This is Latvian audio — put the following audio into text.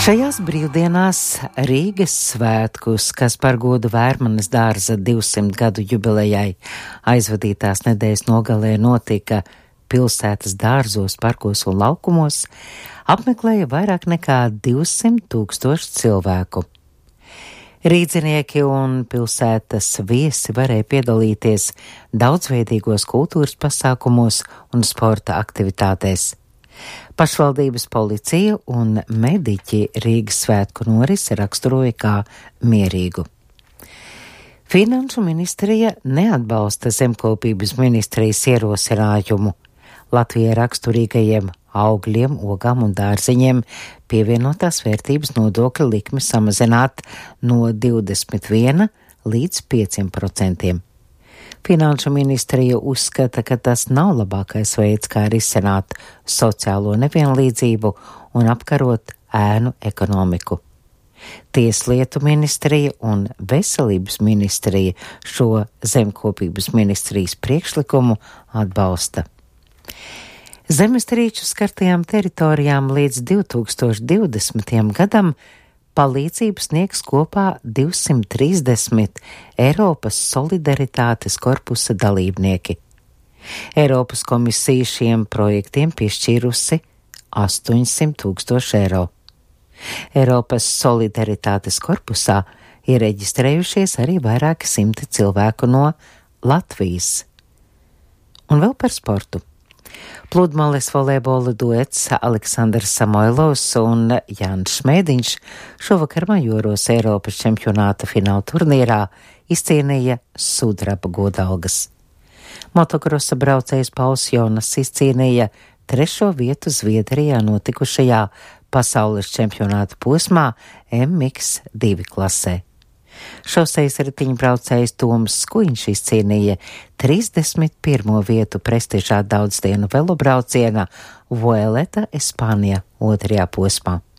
Šajās brīvdienās Rīgas svētkus, kas par godu Vērmanes dārza 200 gadu jubilejai aizvadītās nedēļas nogalē notika pilsētas dārzos, parkos un laukumos, apmeklēja vairāk nekā 200 000 cilvēku. Rīdzinieki un pilsētas viesi varēja piedalīties daudzveidīgos kultūras pasākumos un sporta aktivitātēs. Pašvaldības policija un mediķi Rīgas svētku norisi raksturoja kā mierīgu. Finanšu ministrija neatbalsta zemkopības ministrijas ierosinājumu Latvijai raksturīgajiem augļiem, ogām un dārziņiem pievienotās vērtības nodokļa likmi samazināt no 21 līdz 5%. Finanšu ministrija uzskata, ka tas nav labākais veids, kā risināt sociālo nevienlīdzību un apkarot ēnu ekonomiku. Tieslietu ministrija un veselības ministrija šo zemkopības ministrijas priekšlikumu atbalsta. Zemestrīču skartajām teritorijām līdz 2020. gadam palīdzību sniegs kopā 230 Eiropas solidaritātes korpusa dalībnieki. Eiropas komisija šiem projektiem piešķīrusi 800 000 eiro. Eiropas solidaritātes korpusā ir reģistrējušies arī vairāki simti cilvēku no Latvijas. Un vēl par sportu. Pludmales volejbola duets Aleksandrs Samoilovs un Jānis Šmēdiņš šovakar Majoros Eiropas čempionāta fināla turnīrā izcīnīja sudraba godalgas. Motokrosa braucējs Pauls Jonas izcīnīja 3. vietu Zviedrijā notikušajā pasaules čempionāta posmā MX2 klasē. Šosejas riteņbraucējs Toms Skuiņš izcīnīja 31. vietu prestižā daudzdienu velobrauciena Vuelta Espāņa 2. posmā.